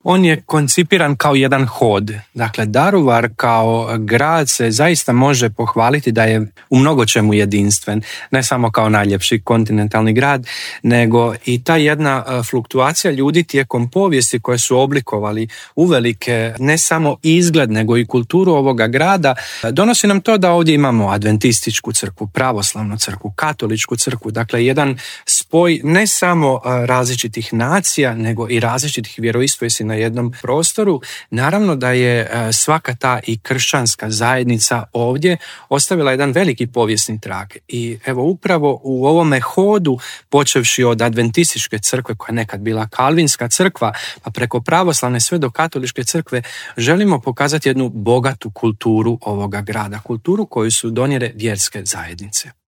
On je koncipiran kao jedan hod. Dakle, Daruvar kao grad se zaista može pohvaliti da je u mnogo čemu jedinstven. Ne samo kao najljepši kontinentalni grad, nego i ta jedna fluktuacija ljudi tijekom povijesti koje su oblikovali uvelike ne samo izgled, nego i kulturu ovoga grada, donosi nam to da ovdje imamo adventističku crkvu, pravoslavnu crkvu, katoličku crkvu. Dakle, jedan spoj ne samo različitih nacija, nego i različitih vjeroispovijesti na jednom prostoru. Naravno da je svaka ta i kršćanska zajednica ovdje ostavila jedan veliki povijesni trag. I evo upravo u ovome hodu, počevši od adventističke crkve koja je nekad bila kalvinska crkva, pa preko pravoslavne sve do katoličke crkve, želimo pokazati jednu bogatu kulturu ovoga grada, kulturu koju su donijele vjerske zajednice.